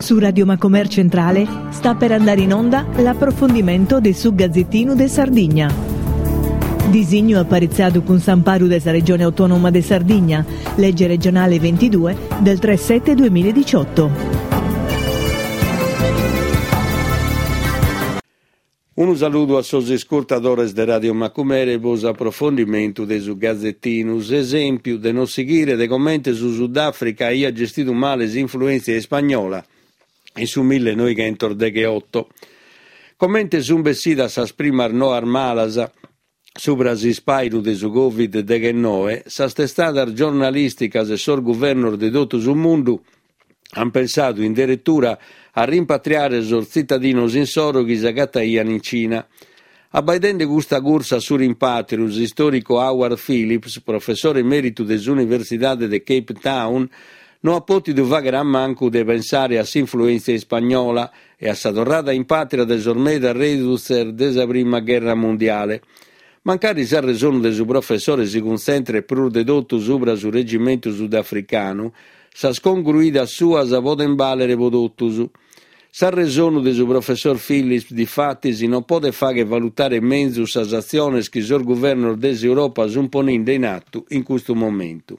Su Radio Macomer Centrale sta per andare in onda l'approfondimento de su Gazettinu de Sardigna. Disignu aparitzadu cun s'amparu de sa Regione Autonoma de Sardigna, lege regionale 22 del 3 7 2018. Unu saludu a sos iscurtadores de Radio Macumere pro s'aprofondimentu de su Gazetinu. S'esèmpiu de non sighire de comente su Sudàfrica aiat gestidu male s'influèntzia ispagnola in su millenoighentosdegheoto. Comente sunt bessidas sas primas noas malas subra s'ispàinu de su Covid deghennoe, sas testadas giornalìsticas e sos guvernos de totu su mundu ant pensadu in deretura a rimpatriare sos tzitadinos insoro chi s'agataian in Cina. Abbaidende custa cursa a su rimpàtriu, s'istòricu Howard Phillips, professore emèritu de s'Universidade de Cape Town, no at pòtidu fàghere a mancu de pensare a s'influèntzia ispagnola e a sa torrada in pàtria de sos medas rèdutzes de sa prima gherra mundiale. Mancari s'arresonu de su professore si cuntzentret prus de totu subra su regimentu sudafricanu, sas congruidas suas podent bàlere pro totus. S'arresonu de su professor Phillips, difatis, nos podet fàghere valutare menzus sas atziones chi sos guvernos de s'Europa sunt poninde in atu in custu momentu.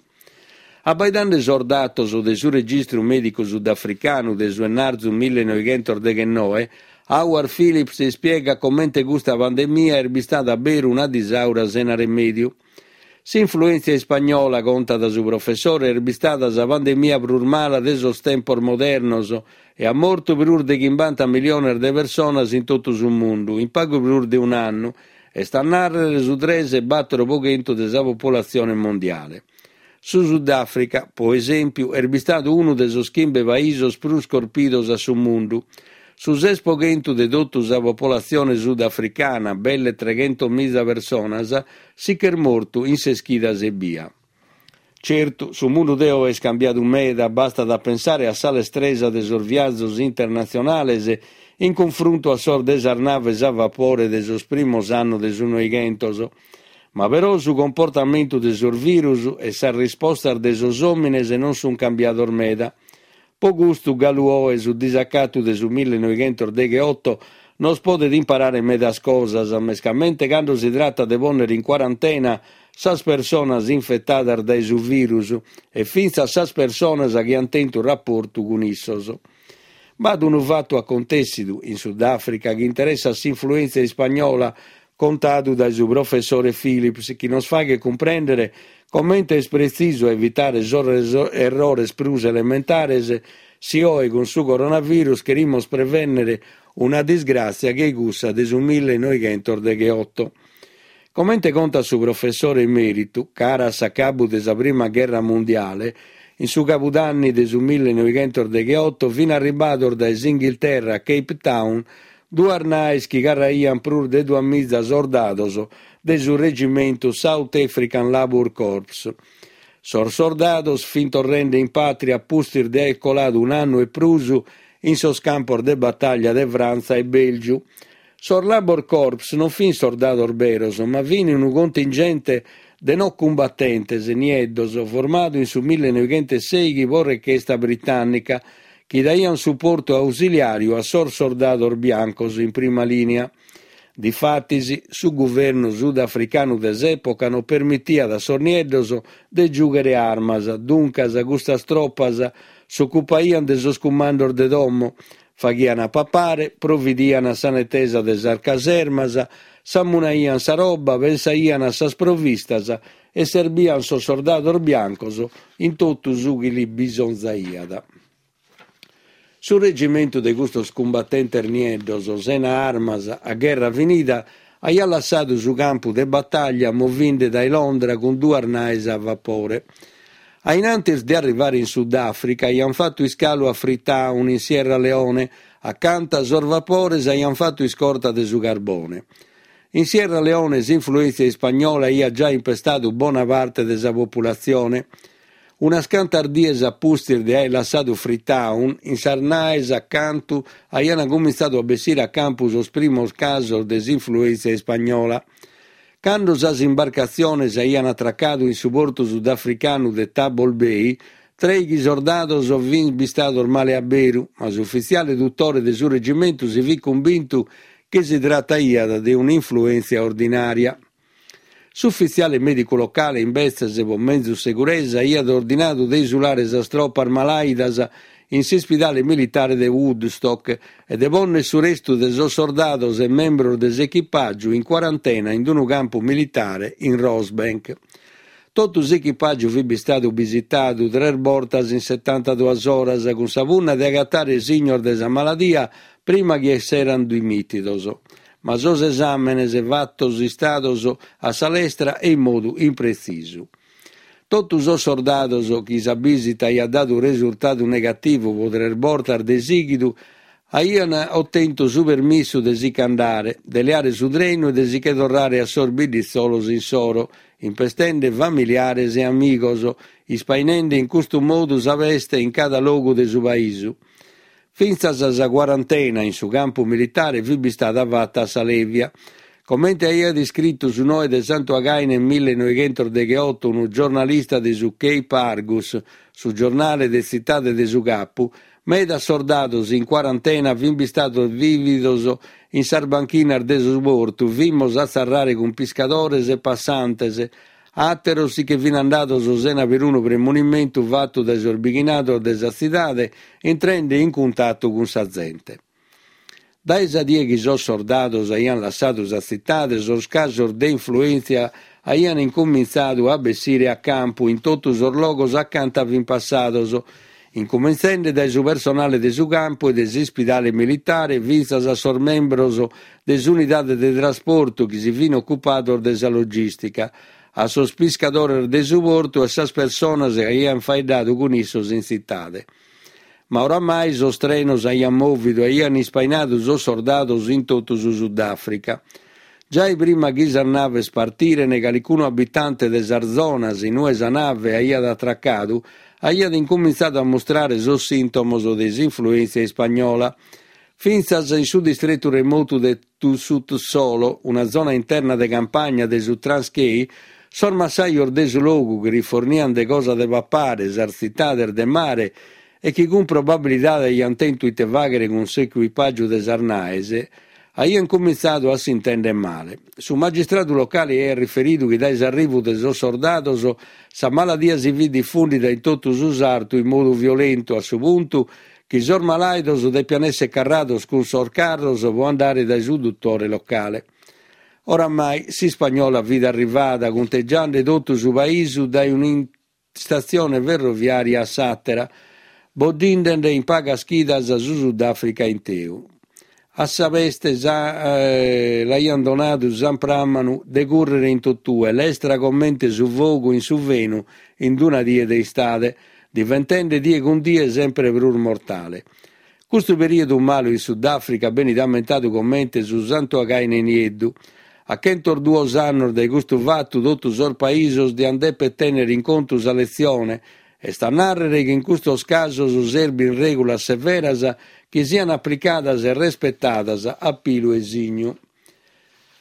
Abbaidende sos datos de su registru mèdicu sudafricanu de su 'ennarzu millenoighentosdeghennoe, Howard Phillips ispiegat comente custa pandemia est bistada beru una disaura sena remèdiu. S'influèntzia ispagnola, contat su professore, est bistada sa pandemia prus mala de sos tempos modernos e at mortu prus de chimbanta miliones de personas in totu su mundu in pagu prus de un'annu, est a nàrrere su tres e bàtoro pro chentu de sa populatzione mondiale. Su Sudàfrica, pro esèmpiu, est bistadu unu de sos chimbe paisos prus corpidos a su mundu. Su ses pro chentu de totu sa popolatzione sudafricana, belle treghentomiza personas, si ch'est mortu in ses chidas ebbia. Certu, su mundu de oe est cambiadu meda, bastat a pensare a sa lestresa de sos viazos internatzionales in cunfruntu a sos de sas naves a vapore de sos primos annos de su Noighentos. Ma però su comportamentu de sos virus e sas rispostas de sos òmines non sunt cambiados meda. Po custu galu oe su disacatu de su millenoighentosdegheoto nos podet imparare medas cosas, mescamente cando si tratat de pònnere in cuarantena sas personas infetadas dae su virus e fintzas sas personas chi ant tentu raportu cun issos. B'at unu fatu acontèssidu in Sudàfrica chi interessat s'influèntzia ispagnola contadu dae su professore Phillips chi nos faghet cumprèndere comente est pretzisu a evitare sos errores prus elementares si oe cun su coronavirus cherimos prevènnere una disgràtzia che cussa de su millenoighentosdegheoto. Comente contat su professore emèritu, cara a s'acabu de sa prima gherra mundiale, in su cabudanni de su millenoighentosdegheoto fin arribados dae s'Inghilterra a Cape Town duas naes chi carraiant prus de duamiza sordados de su regimentu South African Labour Corps. Sos sordados fint torrende in pàtria a pustis de aer coladu un'annu e prus in sos campos de batàllia de Frantza e Bèlgiu. Sos Labour Corps non fint sordados beros, ma fint unu contingente de no cumbatentes nieddos formadu in su millenoighentosseighi pro rechesta britànnica, chi daiant suportu ausiliàriu a sos sordados biancos in prima lìnia. Difatis, su guvernu sudafricanu de s'època non permitiat a sos nieddos de giùghere armas, duncas custas tropas s'ocupaiant de sos cumandos de domo, faghiant a papare, providiant a sa netesa de sas casermas, samunaiant sa roba, pensaiant a sas provistas e serbiant sos sordados biancos in totu su chi lis bisonzaiat. Su regimentu de custos cumbatentes nieddos, sena armas, a gherra finida, aiat lassadu su campu de batàllia movinde dae Londra cun duas naes a vapore. A in antis de arrivare in Sudàfrica aiant fatu iscalu a Freetown, in Sierra Leone, acanta sos vapores aiant fatu iscorta de su carbone. In Sierra Leone s'influèntzia ispagnola aiat giai impestadu bona parte de sa populatzione. Unas cantas dies a pustis de aer lassadu Freetown, in sas naes acantu aiant cumintzadu a bessire a campu sos primos casos de s'influèntzia ispagnola. Cando sas imbarcatziones aiant atracadu in su portu sudafricanu de Table Bay,. Trèighi sordados fint bistados male a beru, ma s'ufitziale dutore de su regimentu si fit cumbintu chi si trataiat de un'influèntzia ordinària. S'ufitziale mèdicu locale, imbetzes, pro menzus seguresa, aiat ordinadu de isulare sas tropas malàidas in s'ispidale militare de Woodstock e de pònnere su restu de sos sordados e membros de s'echipàgiu in cuarantena in unu campu militare in Rosebank. Totu s'echipàgiu fit bistadu bisitadu tres bortas in setantaduas oras cun sa punna de agatare signos de sa maladia prima chi esserant dimìtidos. Ma sos esàmenes fatos istados a sa lestra e in modu impretzisu. Totu sos sordados chi sa bìsita aiat dadu resurtadu negativu pro tres bortas de sighidu aiant otentu su permissu de si ch'andare, de leare su trenu e de si che torrare a sos bidditzolos insoro, impestende familiares e amigos, ispainende in custu modu sa peste in cada logu de su paisu. Fintzas sa cuarantena in su campu militare fit bistada fata a sa lèvia. Comente aiat iscritu su noe de Santu Againe millenoighentosdegheoto unu giornalista de su Cape Argus, su giornale de tzitade de su Capu, medas sordados in cuarantena fin bistados bìvidos in sas banchinas de su portu frimmos a tzarrare cun piscadores e passantes, Àteros si che fin andados sena perunu premunimentu fatu dae sos bighinados de sa tzidade intrende in cuntatu cun sa zente. Dae sa die chi sos sordados aian lassadu sa tzitade sos casos de influèntzia aian incumintzadu a bessire a campu in totu sos logos acanta fin passados, incumintzende dae su personale de su campu e de s'ispidale militare fintzas a sos membros de s'unidade de trasportu chi si fin ocupados de sa logìstica, a sos piscadores de su portu e sas personas chi aian faeddadu cun issos in tzitade. Ma oramai sos trenos aian mòvidu e aian ispainadu sos sordados in totu su Sudàfrica. Giai prima chi sas naves partiren, calicunu abitante de sas zonas in ue sa nave aiat atracadu aiat incumintzadu a mustrare sos sìntomos de s'influèntzia ispagnola. Fintzas in su distretu remotu de Sutsolo, una zona interna de campagna de su Transkei, sos massajos de su logu chi riforniant de cosa de papare sas tzitades de mare e chi cun probabilidade aiant tentu ite fàghere cun s'ecuipàgiu de sas naes, aiant cumintzadu a s'intèndere male. Su magistradu locale aiat riferidu chi dae s'arrivu de sos sordados sa maladia si fit difùndida in totu su sartu in modu violentu a su puntu chi sos malàidos depiant èssere carrados cun sos carros pro andare dae su dutore locale. Oramai s'ispagnola fit arrivada, cuntegiende totu su paisu dae un'istatzione ferroviària a s'àtera, boddinde in pagas chidas su Sudàfrica inteu. A sa peste l'aiant donadu s'ampràmanu de cùrrere in totue, lestra comente su fogu in su fenu in una die de istade, diventende die cun die sempre prus mortale. Custu perìodu malu in Sudàfrica benit ammentadu comente su Santu Againe Nieddu. A chentosduos annos dae custu fatu totu sos paisos diant dèpere tènnere in contu sa letzione, est a nàrrere chi in custos casos serbint règulas severas chi siant aplicadas e respetadas a pilu e signu.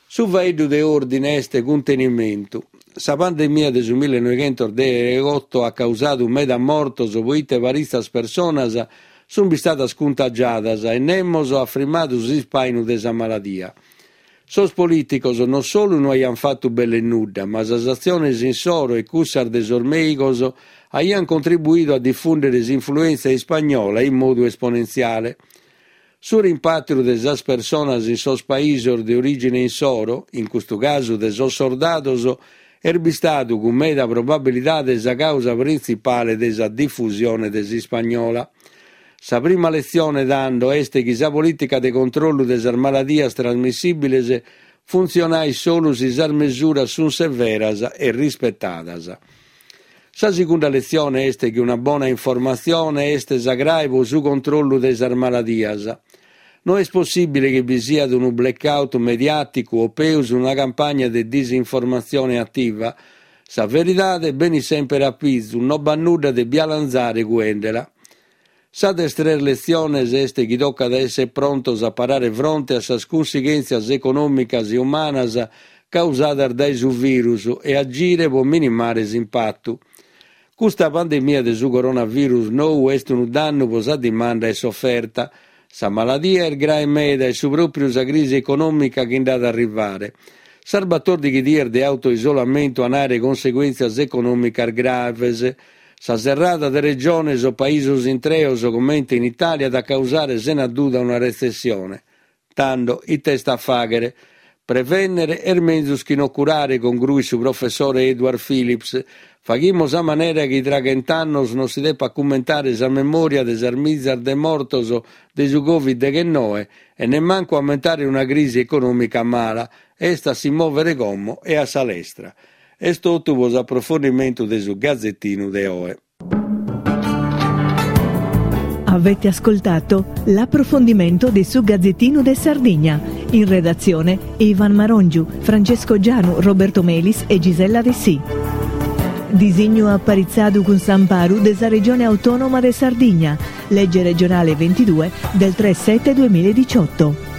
Su faeddu de òrdine est cuntenimentu. Sa pandemia de su millenoighentosdegheoto at causadu meda mortos poite paritzas personas sunt bistadas cuntagiadas e nemos at frimmadu s'ispainu de sa maladia. Sos polìticos non solu no aiant fatu belle nudda, ma sas atziones insoro e cussas de sos mèigos aiant contribuidu a difùndere s'influèntzia ispagnola in modu esponentziale. Su rimpàtriu de sas personas in sos paisos de orìgine insoro, in custu casu de sos sordados, est bistadu cun meda probabilidade sa càusa printzipale de sa difusione de s'ispagnola. Sa prima letzione, tando, est chi sa polìtica de controllu de sas maladias trasmissìbiles funtzionait solu si sas mesuras sunt severas e rispetadas. Sa segunda letzione est chi una bona informatzione est sa crae pro su controllu de sas maladias. No est possìbile chi bi siat unu blackout mediàticu o peus una campagna de disinformatzione ativa. Sa veridade benit semper a pizu, no b'at nudda de bialanzare cuendela. Sa de tres letziones est chi tocat a èssere prontos a parare fronte a sas cunsighèntzias econòmicas e umanas causadas dae su virus e agire pro minimare s'impatu. Custa pandemia de su coronavirus nou est unu dannu pro sa dimanda e s'oferta. Sa maladia est grae meda e su pròpriu sa crisi econòmica chi nd'at a arrivare. Sas batòrdighi dies de autoisolamentu an àere conseguèntzias econòmicas graves. Sa serrada de regiones o paisos intreos comente in Itàlia at a causare sena duda una retzessione. Tando, ite est a fàghere? Prevènnere est menzus chi no curare, congruit su professore Edward Phillips. Faghimos a manera chi tra chent'annos non si depat cummentare sa memòria de sas mizas de mortos de su Covid deghennoe e nemmancu ammentare una crisi econòmica mala. Est a si mòvere como e a sa lestra. Est totu pro s'aprofondimentu de su Gazetinu de oe. Avete ascoltato l'approfondimento de su Gazzettino de Sardigna. In redazione Ivan Marongiu, Francesco Gianu, Roberto Melis e Gisella Dessì. Disignu aparitzadu cun s'amparu de sa Regione Autonoma de Sardigna, legge regionale 22 del 3 7 2018.